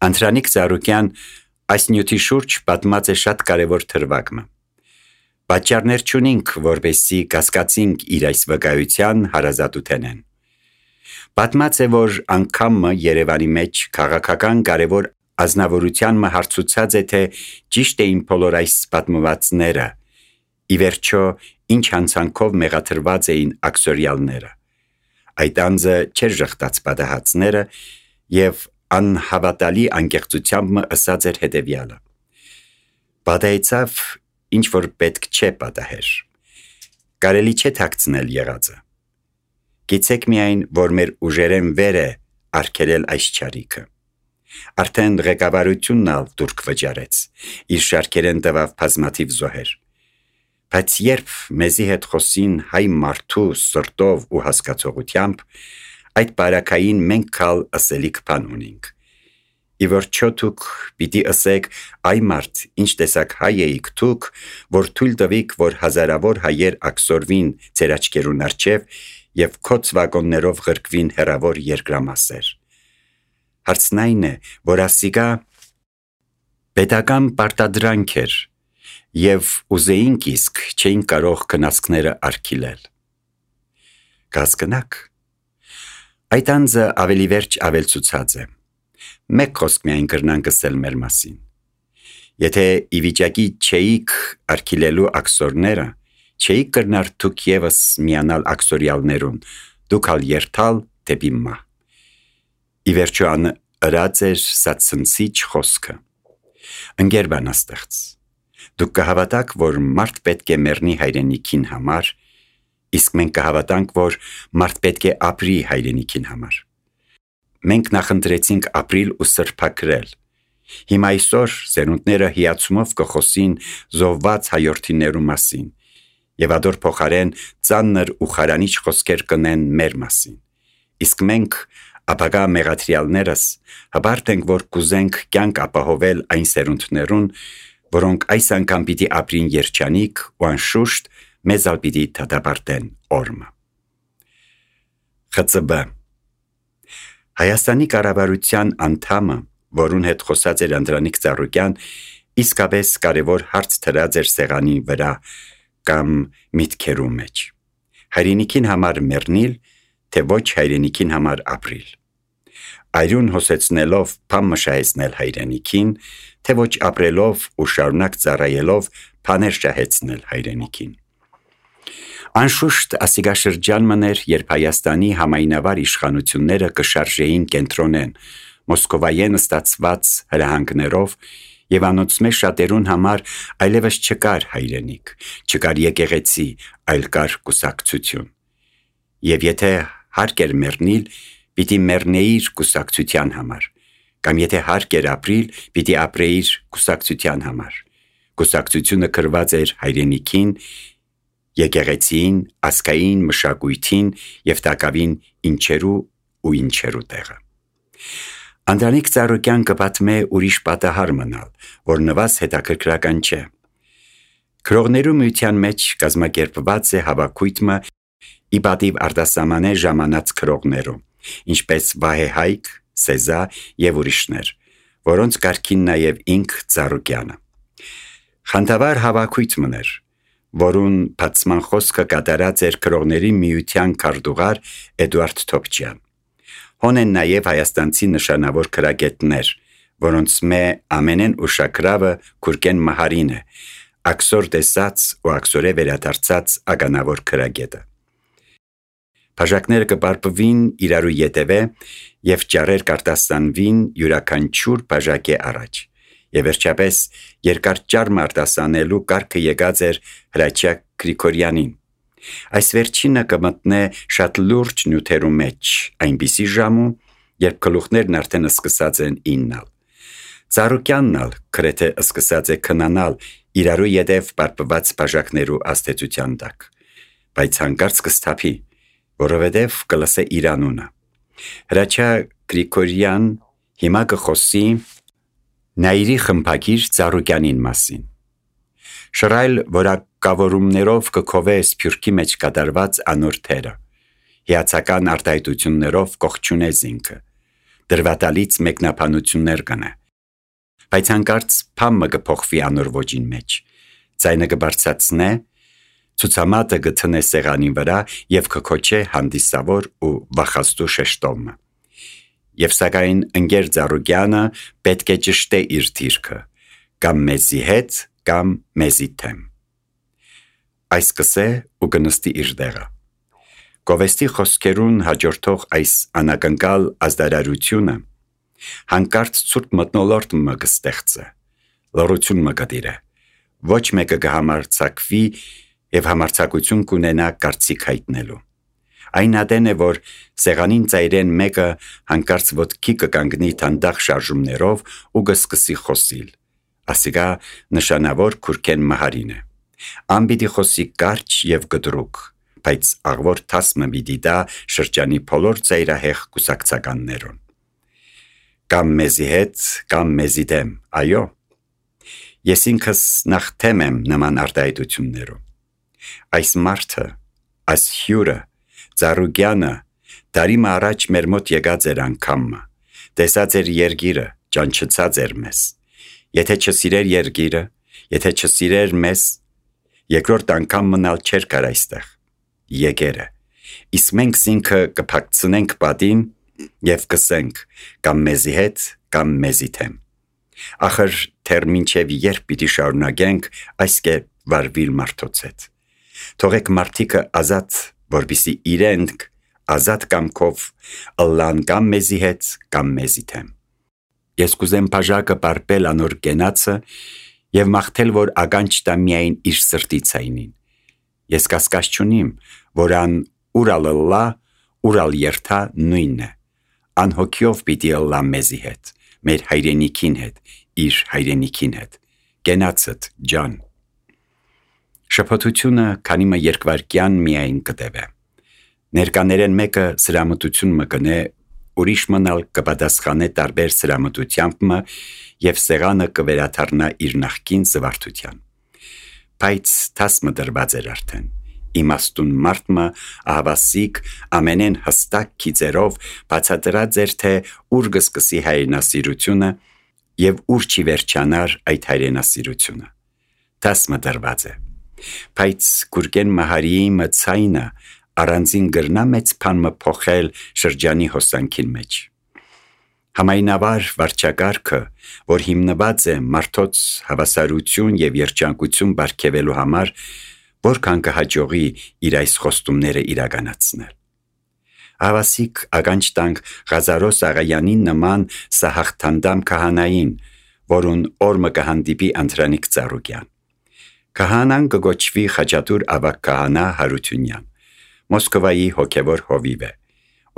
Անդրանիկ Ծառուկյան այս նյութի շուրջ պատմած է շատ կարևոր թրվակը։ Պատճառներ չունինք, որպեսզի կասկածինք իր այս վկայության հարազատութենեն։ Պատմած է, որ անգամը Երևանի մեջ քաղաքական կարևոր ազնվորության հարցուցած է, թե ճիշտ էին բոլոր այս պատմվածները, ի վերջո ինչ հանցանքով մեղադրված էին աքսորյալները։ Այդ անձը չէր ժխտած պատահածները և անհավատալի անկեղծությամբ ըսած էր հետևյալը. պատահեցավ, ինչ որ պետք չէ պատահեր, կարելի չէ թաքցնել եղածը, գիտեք միայն, որ մեր ուժերեն վեր է արգելել այս չարիքը, արդեն ղեկավարությունն ալ դուրք վճարեց, իր շարքերեն տվավ բազմաթիվ զոհեր, բայց երբ մեզի հետ խոսին հայ մարդու սրտով ու հասկացողությամբ, այդ բարակային մենք կալ ըսելիք բան ունինք։ Ի վերջո դուք պիտի ըսեք, այ մարդ, ինչ տեսակ հայ էիք դուք, որ թույլ տվիք, որ հազարավոր հայեր աքսորվին ձեր աչքերուն առջև և քո ծվակոններով ղրկվին հեռավոր երկրամասեր։ Հարցն այն է, որ ասիկա պետական պարտադրանք էր և ուզեինք իսկ չէին կարող կնասկները արգիլել։ Կհասկնաք, այդ անձը ավելի վերջ ավելցուցած է։ Մեկ խոսք միայն կրնանք ասել մեր մասին։ Եթե ի վիճակի չէիք արգիլելու աքսորները, չէիք կրնար դուք ևս միանալ աքսորյալներուն, դուք ալ երթալ դեպի մահ։ Ի վերջո ըրած էր սացնցիչ խոսքը։ Ընկեր բանաստեղծ, դուք կհավատաք, որ մարդ պետք է մեռնի հայրենիքին համար, իսկ մենք կհավատանք, որ մարդ պետք է ապրի հայրենիքին համար։ Մենք նախընտրեցինք ապրիլ ու սրբակրել։ Հիմա այսօր զերունդները հիացումով կխոսին զոհված հայորդիներու մասին և ադոր փոխարեն ծանր ու խարանիչ խոսքեր կնեն մեր մասին։ Իսկ մենք ապագա մեղադրյալներս հբարտ ենք, որ կուզենք կյանք ապահովել այն զերունդներուն, որոնք այս անգամ պիտի ապրին երջանիկ ու անշուշտ մեզ ալ պիտի դատապարտեն օրմը։ ԽԾԲ Հայաստանի կառավարության անդամը, որուն հետ խոսած էր Անդրանիկ Ծառուկյան, իսկապես կարևոր հարց դրած էր սեղանի վրա կամ միտքերու մեջ։ Հայրենիքին համար մեռնիլ, թե ոչ հայրենիքին համար ապրիլ։ Այրուն հոսեցնելով բան մշահեցնել հայրենիքին, թե ոչ ապրելով ու շարունակ ծառայելով բաներ շահեցնել հայրենիքին։ Անշուշտ ասիգաշրջանն էր, երբ Հայաստանի համայնավար իշխանությունները կշարժեին կենտրոնեն, Մոսկովայեն ստացված հրահանգներով և անոնցմե շատերուն համար այլևս չկար հայրենիք, չկար եկեղեցի, այլ կար կուսակցություն։ Եվ եթե հարկ էր մեռնիլ, պիտի մեռնեիր կուսակցության համար, կամ եթե հարկ էր ապրիլ, պիտի ապրեիր կուսակցության համար։ Կուսակցությունը կրված էր հայրենիքին, եկեղեցին, ազգային մշակույթին և տակավին ինչերու ու ինչերու տեղը։ Անդրանիկ Ծառուկյան կպատմե ուրիշ պատահար մնալ, որ նվազ հետաքրքրական չէ։ Գրողներու միության մեջ կազմակերպված է հավաքույթը ի պատիվ արտասահմանե ժամանած գրողներու, ինչպես Վահե Հայկ, Սեզա և ուրիշներ, որոնց կարգին նաև ինք Ծառուկյանը։ Խանդավառ հավաքույթ էր, որուն բացման խոսքը կատարած էր գրողների միության քարտուղար Էդուարդ Թոփչյան։ Հոն են նաև հայաստանցի նշանավոր գրագետներ, որոնց մե ամենեն ուշագրավը Գուրգեն Մահարին է, աքսոր տեսած ու աքսորե վերադարձած ականավոր գրագետը։ Բաժակները կպարպվին իրարու ետևե և ճառեր կարտասանվին յուրաքանչյուր բաժակի առաջ։ Եվ վերջապես երկար ճառը արտասանելու կարգը եկած էր Հրաչյա Գրիգորյանին։ Այս վերջինը կմտնե շատ լուրջ նյութերու մեջ, այնպիսի ժամու, երբ գլուխներն արդեն սկսած են իննալ։ Ծառուկյանն ալ գրեթե սկսած է քնանալ իրարու ետև պարպված բաժակներու աստեցության տակ, բայց հանկարծ կսթափի, որովհետև կլսե իր անունը։ Հրաչյա Գրիգորյան հիմա կխոսի Նայիրի խմբագիր Ծառուկյանին մասին։ Շռայլ որակավորումներով կքովե Սփյուռքի մեջ կատարված անոր թերը, հիացական արտահայտություններով կողջունե զինքը, դրվատալից մեկնաբանություններ կնե։ Բայց հանկարծ փամը կփոխվի անոր ոճին մեջ, ձայնը կբարձրացնե, ցուցամատը գտնե սեղանին վրա եւ կքոչե հանդիսավոր ու վախաստու շեշտոմը։ Եվ սակայն ընկեր Ծառուկյանը պետք է ճշտե իր դիրքը, կամ մեզի հետ, կամ մեզի թեմ։ Այս կսե ու կնստի իր դեղը։ Գովեստի խոսքերուն հաջորդող այս անակնկալ ազդարարությունը հանկարծ ցուրտ մտնոլորտ մը կստեղծե, լռություն մը կդիրե, ոչ մեկը կհամարձակվի եւ համարձակություն կունենա կարծիք հայտնելու։ Այն ադեն է, որ սեղանին ծայրեն մեկը հանկարծ ոտքի կկանգնի թանդախ շարժումներով ու կսկսի խոսիլ, ասիկա նշանավոր քուրքեն մահարին է։ Անպիտի խոսի կարճ եւ կտրուկ, բայց աղվոր թասմը պիտի դա շրջանի բոլոր ծայրահեղ կուսակցականներուն։ Կամ մեզի հետ, կամ մեզի դեմ, այո։ Ես ինքս նախ թեմ եմ նման արտահայտություններում։ Այս մարդը, այս հյուրը, Ծառուկյանը, դարիմը առաջ մեր մոտ եկած էր անգամը, տեսած էր երգիրը, ճանչցած էր մեզ։ Եթե չսիրեր երգիրը, եթե չսիրեր մեզ, երկրորդ անգամ մնալ չէր կար այստեղ։ Եկերը։ Իսկ մենք ինքը կփակցնենք պատին եւ կսենք կամ մեզի հետ, կամ մեզի թեմ։ Ախր թեր մինչև երբ պիտի շարունակենք այս կերպ վարվել մարդոց հետ։ Թողեք մարդիկը ազատ, որպեսզի իրենք ազատ կամքով ըլլան կամ մեզի հետ, կամ մեզի թեմ։ Ես կուզեմ բաժակը պարպել անոր կենացը եւ մաղթել, որ ականջ տա միայն իր սրտի ցայնին։ Ես կասկած չունիմ, որ ան ուրալ ըլլա, ուրալ երթա նույնն է։ Անհոգյով պիտի ըլլա մեզի հետ, մեր հայրենիքին հետ, իր հայրենիքին հետ, կենացդ ջան։ Շփոթությունը քանիմը երկվարկյան միայն կտևե։ Ներկաներեն մեկը սրամտություն մը կնե, ուրիշ մնալ կպատասխանե տարբեր սրամտությամբ մը եւ սեղանը կվերաթարնա իր նախկին զվարթության։ Բայց թասմը դրված էր արդեն։ Իմաստուն մարդը ահավասիկ ամենեն հստակ քիծերով բացատրած էր, թե ուր կսկսի հայրենասիրությունը եւ ուր չի վերջանար այդ հայրենասիրությունը։ Թասմը դրված է։ Բայց Գուրգեն Մահարիի մցայնը առանձին գրնա մեծ բան փոխել շրջանի հոսանքին մեջ։ Համայնավար վարչակարգը, որ հիմնված է մարդոց հավասարություն եւ երջանկություն բարգեւելու համար, որքան կհաջողի իր այս խոստումները իրականացնել։ Հավասիկ ականջ տանք Ղազարոս Աղայանին նման սահաղթանդամ քահանային, որուն օրը կհանդիպի Անդրանիկ Ծառուկյան։ Քահանան կգոչվի Խաչատուր ավագ քահանա Հարությունյան, Մոսկվայի հոգևոր հովիվ է,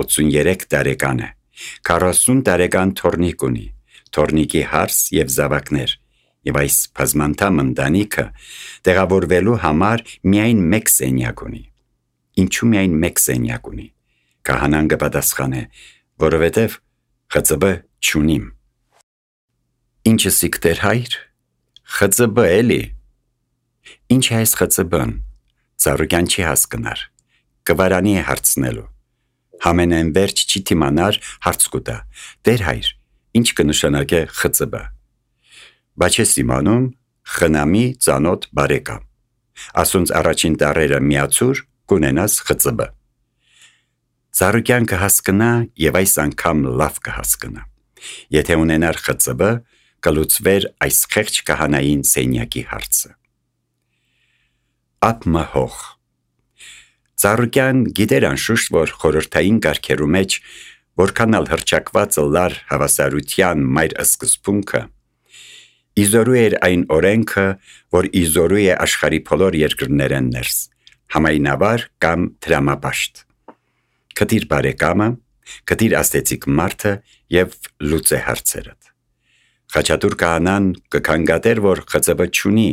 83 տարեկան է, 40 տարեկան թորնիկ ունի, թորնիկի հարս եւ զավակներ, եւ այս բազմանդամ ընտանիքը տեղավորվելու համար միայն մեկ սենյակ ունի։ Ինչու միայն մեկ սենյակ ունի։ Քահանան կպատասխանե, որովհետև ԽԾԲ չունիմ։ Ինչը սիկտեր հայր, ԽԾԲ էլի։ Ինչ է այս ԽԾԲ-ն, Ծառուկյան չի հասկնար, կվարանի է հարցնելու։ Համենայն վերջ չի թիմանար հարց կուտա, դեր հայր, ինչ կնշանակե ԽԾԲ։ Բայց ես իմանում խնամի ծանոթ բարեկամ։ Ասոնց առաջին տարերը միացուր կունենաս ԽԾԲ։ Ծառուկյան կհասկնա եւ այս անգամ լավ կհասկնա։ Եթե ունենար ԽԾԲ, կլուծվեր այս խեղճ քահանային սենյակի հարցը։ Ապմը հող։ Ծառուկյան գիտեր անշուշտ, որ խորհրդային կարգերու մեջ որքանալ հրճակված լար հավասարության մայր սկզբունքը, իզորու էր այն օրենքը, որ իզորու է աշխարհի բոլոր երկրներեն ներս, համայնավար կամ դրամապաշտ։ Կտիր բարեկամը, կտիր աստեցիկ մարդը եւ լուծե հարցերդ։ Խաչատուր քահանան կքանգատեր, որ ԽԾԲ չունի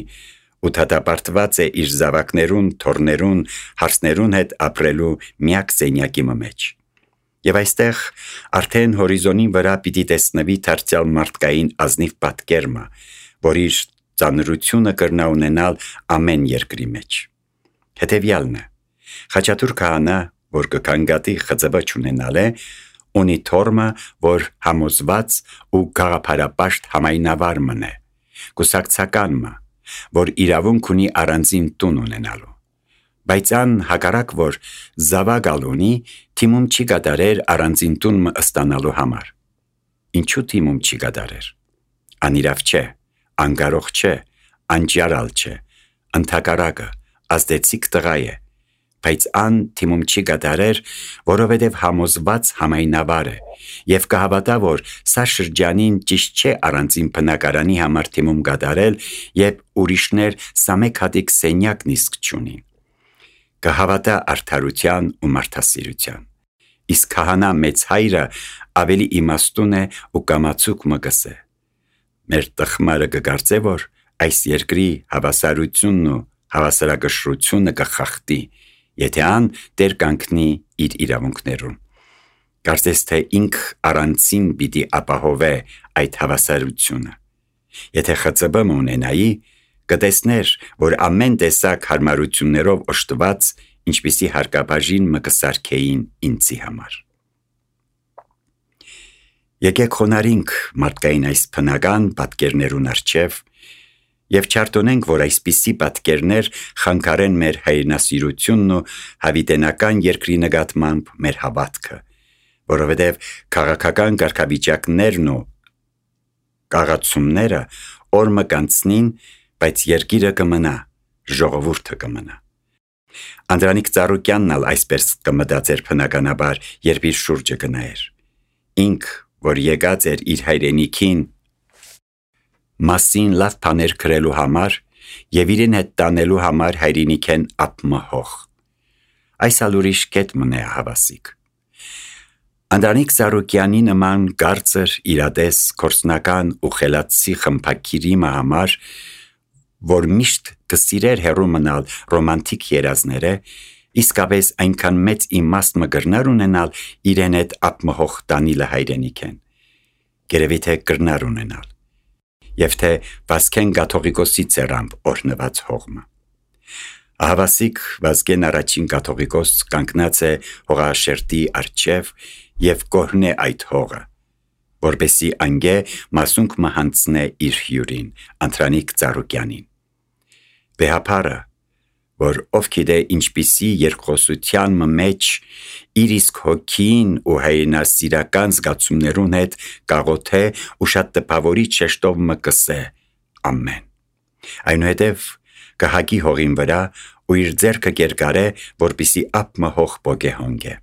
ու դատապարտված է իր զավակներուն, թորներուն, հարսներուն հետ ապրելու միակ սենյակի մեջ։ Եվ այստեղ արդեն հորիզոնի վրա պիտի տեսնվի դարձյալ մարդկային ազնիվ պատկերմը, որ իր ծանրությունը կրնա ունենալ ամեն երկրի մեջ։ Հետևյալն է. Խաչատուր քահանա, որ կքանգատի ԽԾԲ չունենալ է, ունի թորմը, որ համոզված ու գաղափարապաշտ համայնավար մնե, կուսակցականմը, որ իրավունք ունի առանձին տուն ունենալու, բայց ան հակառակ որ զավագալ ունի, թիմում չի գադարեր առանձին տունը ստանալու համար։ Ինչու թիմում չի գադարեր։ Անիրավ չէ, անգարող չէ, անջարալ չէ, ընդհակառակը, ազդեցիկ տղա է, բայց ան թիմում չի գադարեր, որովհետև համոզված համայնավար է և կհավատա, որ սա շրջանին ճիշտ չէ առանձին բնակարանի համար թիմում գադարել և ուրիշներ սամեկ հատիկ սենյակն իսկ չունին։ Կհավատա արդարության ու մարդասիրության։ Իսկ քահանա մեծ հայրը ավելի իմաստուն է ու կամացուկ մը կսե։ Մեր տխմարը կգարծե, որ այս երկրի հավասարությունն ու հավասարակշռությունը կխախտի, եթե ան դեր կանգնի իր իրավունքներում։ Կարծես թե ինք առանցին պիտի ապահովե այդ հավասարությունը։ Եթե ԽԾԲ-ը ունենայի, կտեսներ, որ ամեն տեսակ հարմարություններով օժտված, ինչպիսի հարկաբաժին մը կսարքեին ինձի համար։ Եկեք խոնարհենք մարդկային այս բնական պատկերներուն առջև և չարտոնենք, որ այսպիսի պատկերներ խանգարեն մեր հայրենասիրությունն ու հավիտենական երկրի նկատմամբ մեր հավատքը, որովհետև քաղաքական կարգավիճակներն ու կաղացումները օրը կանցնին, բայց երկիրը կմնա, ժողովուրդը կմնա։ Անդրանիկ Ծառուկյանն ալ այսպես կմտածեր բնականաբար, երբ իր շուրջը կնայեր։ Ինք, որ եկած էր իր հայրենիքին մասին լավ բաներ գրելու համար և իրեն հետ տանելու համար հայրենիքեն ապմահող։ Այս ալ ուրիշ կետ մնե հավասիկ։ Անդրանիկ Ծառուկյանի նման կարծր, իրադես, կորսնական ու խելացի խմբակիրիմը համար, որ միշտ կսիրեր հեռու մնալ ռոմանտիկ երազները, իսկապես այնքան մեծ իմաստ մը գրնար ունենալ իրեն հետ ապմահող տանիլը հայրենիքեն։ Գերևի թե գրնար ունենալ։ Եվ թե Վազգեն Կաթողիկոսի ծերամբ օրհնված հողմը։ Ահավասիկ Վազգեն առաջին կաթողիկոս կանգնած է հողաշերտի առջև և կորհնե այդ հողը, որպեսի անգե մասունք մը հանցնե իր հյուրին, Անդրանիկ Ծառուկյանին։ Վեհապարը, որ ով գիտե ինչպիսի երկխոսության մեջ իր իսկ հոգին ու հայրենասիրական զգացումներուն հետ կաղոթե ու շատ տպավորիչ շեշտով մը կսե ամեն։ Այնուհետև կհագի հողին վրա ու իր ձեռքը կերկարե, որպիսի ապմը հող բոգե հոնգե։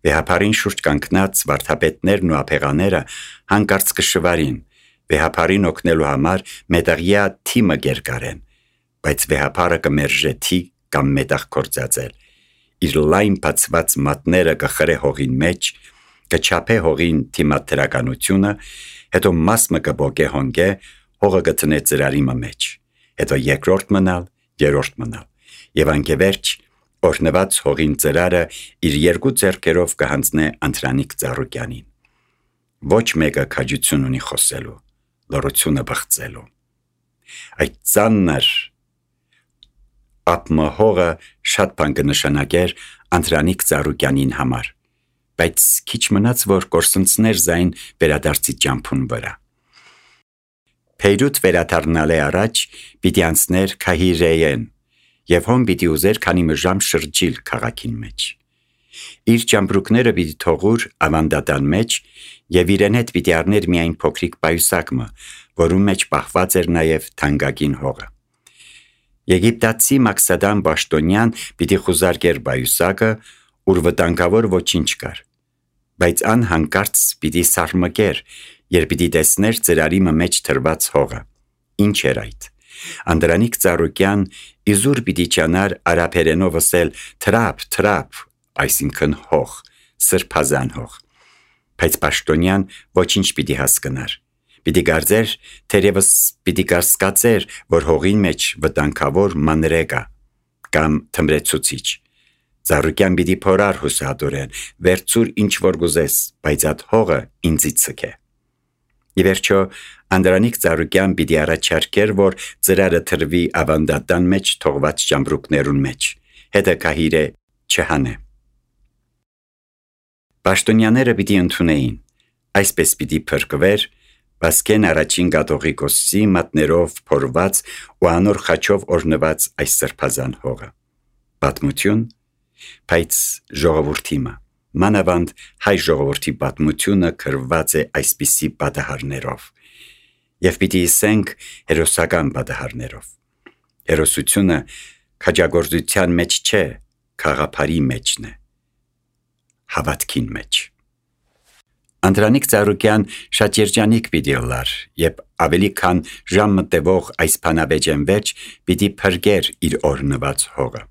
Վեհապարին շուրջ կանգնած վարդապետներն ու ափեղաները հանկարծ կշվարին, վեհապարին օգնելու համար մետաղյա թիմը կերկարեն, բայց վեհապարը կմերժե թի կամ մետաղ կործածել, իր լայն բացված մատները կխրե հողին մեջ, կչափե հողին թիմադրականությունը, հետո մասը կբոգե հոնգե, հողը կտնե ծրարի մեջ, հետո երկրորդ մնալ, երրորդ մնալ, և անկևերջ օրհնված հողին ծրարը իր երկու ձեռքերով կհանձնե Անդրանիկ Ծառուկյանին։ Ոչ մեկը քաջություն ունի խոսելու, լռությունը բղծելու։ Այդ ծանր ապմը հողը շատ բան կնշանակեր Անդրանիկ Ծառուկյանին համար, բայց քիչ մնաց, որ կորսնցներ զայն վերադարձի ճամփուն վրա։ Փեյրութ վերադառնալ է առաջ, պիտի անցներ Քահիրեեն, և հոն պիտի ուզեր քանի մժամ շրջիլ քաղաքին մեջ։ Իր ճամբրուկները պիտի թողուր ավանդատան մեջ և իրեն հետ պիտի առներ միայն փոքրիկ պայուսակը, որում մեջ պահված էր նաև թանկագին հողը։ Եգիպտացի Մաքսադան Պաշտոնյան պիտի խուզարկեր պայուսակը, ուր վտանգավոր ոչինչ կար, բայց ան հանկարծ պիտի սարմկեր, երբ պիտի տեսներ ծրարի մեջ թրված հողը։ Ինչ էր այդ։ Անդրանիկ Ծառուկյան իզուր պիտի ճանար արաբերենով ասել թրապ, այսինքն հող, սրբազան հող, բայց Պաշտոնյան ոչինչ պիտի հասկնար, պիտի կարծեր, թերևս պիտի կասկածեր, որ հողին մեջ վտանգավոր մանրե կա, կամ թմրեցուցիչ։ Ծառուկյան պիտի փորար հուսահատորեն, վերցուր ինչ որ գուզես, բայց այդ հողը ինձի ցկե։ Ի վերջո Անդրանիկ Ծառուկյան պիտի առաջարկեր, որ ծրարը թրվի ավանդատան մեջ թողված ճամբրուկներուն մեջ, հետը Քահիրե չհանե։ Պաշտոնյաները պիտի ընդունեին, այսպես պիտի փրկվեր Վասկեն առաջին կաթողիկոսի մատներով փորված ու անոր խաչով օրնված այս սրբազան հողը։ Պատմություն, բայց ժողովրդի մանավանդ հայ ժողովրդի պատմությունը գրված է այսպիսի պատահարներով, եւ պիտի ասենք հերոսական պատահարներով։ Հերոսությունը քաջագործության մեջ չէ, խաղապարի մեջն է, հավատքին մեջ։ Անդրանիկ Ծառուկյան շատ երջանիկ պիտի լար, եւ ավելի քան ժամ մտևող այս բանավեճեն վերջ պիտի փրկեր իր օրնված հողը։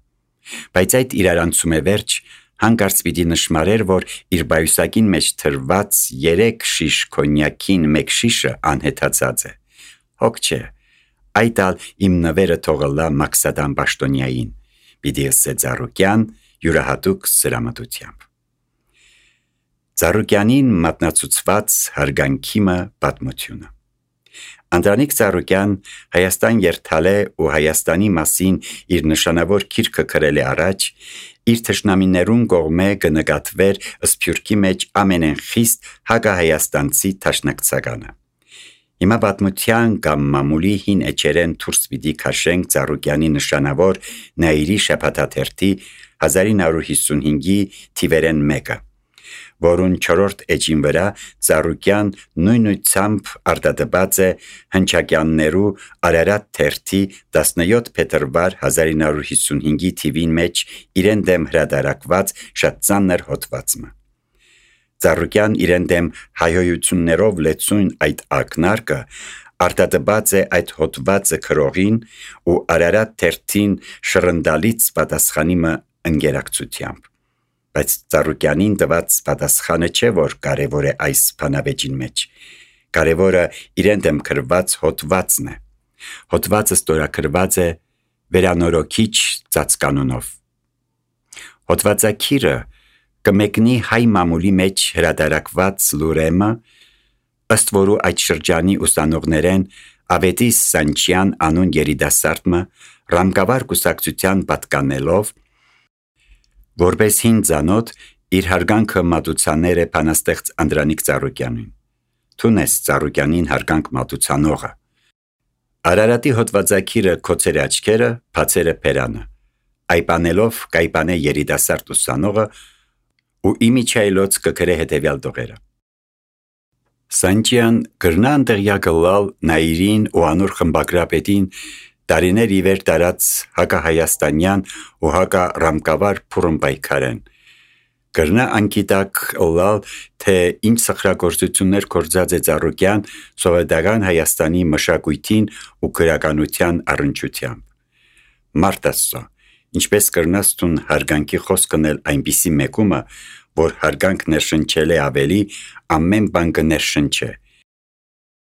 Բայց այդ իրարանցում է վերջ հանկարծ պիտի նշմարեր, որ իր բայուսակին մեջ թրված 3 շիշ կոնյակին 1 շիշը անհետացած է։ Հոգ չէ, այդ ալ իմ նվերը թողլա Մաքսադան Պաշտոնյային, պիտի ասե Ծառուկյան յուրահատուկ սրամտությամբ։ Ծառուկյանին մատնացուցված հարգանքիմը պատմությունը։ Անդրանիկ Ծառուկյան Հայաստան երթալ է ու Հայաստանի մասին իր նշանավոր գիրքը գրել է առաջ, իր թշնամիներուն կողմէ կնկատվեր սփյուռքի մեջ ամենեն խիստ հակահայաստանցի դաշնակցականը։ Հիմա պատմության կամ մամուլի հին էջերեն դուրս պիտի քաշենք Ծառուկյանի նշանավոր Նաիրի շաբաթաթերթի 1955-ի թիվերեն 1-ը, որուն 4-րդ էջին վրա Ծառուկյան նույնությամբ արտադված է հնչակյաններու Արարատ թերթի 17 փետրվար 1955-ի թիվին մեջ իրեն դեմ հրադարակված շատ ծանր հոդվածը։ Ծառուկյան իրեն դեմ հայհոյություններով լեցուն այդ ակնարկը արտադված է այդ հոդվածը քրողին ու Արարատ թերթին շռնդալից պատասխանիմը ընկերակցությամբ։ Բայց Ծառուկյանին տված պատասխանը չէ, որ կարևոր է այս բանավեճին մեջ։ Կարևորը իրեն դեմ գրված հոդվածն է։ Հոդվածը ստորագրված է վերանորոգիչ ծածկանունով։ Հոդվածագիրը կմեկնի հայ մամուլի մեջ հրադարակված լուրեմը, ըստ որու այդ շրջանի ուսանողներեն Ավետիս Սանչյան անուն երիտասարդը ռամկավար կուսակցության պատկանելով, որպես հին ծանոթ իր հարգանքը մատուցաներ է բանաստեղծ Անդրանիկ Ծառուկյանին։ Թունես Ծառուկյանին հարգանք մատուցանողը։ Արարատի հոդվածագիրը քոցեր աչքերը, բացերը բերանը, այպանելով կայպանե երիտասարդ ուսանողը ու իմիջայլոց կգրե հետևյալ տողերը։ Սանչյան գրնան տեղյակլալ Նաիրին ու անոր խմբագրապետին տարիներ ի վեր տարած հակահայաստանյան ու հակառամկավար փուրն պայքարեն։ Գրնա անկիտակ լալ, թե ինչ սխրագործություններ կործած է Ծառուկյան սովետական Հայաստանի մշակույթին ու գրականության առնչությամբ։ Մարդ Աստծո, ինչպես կրնաս տուն հարգանքի խոսքն էլ այնպիսի մեկումը, որ հարգանք ներշնչել է ավելի, ամեն բան կներշնչե,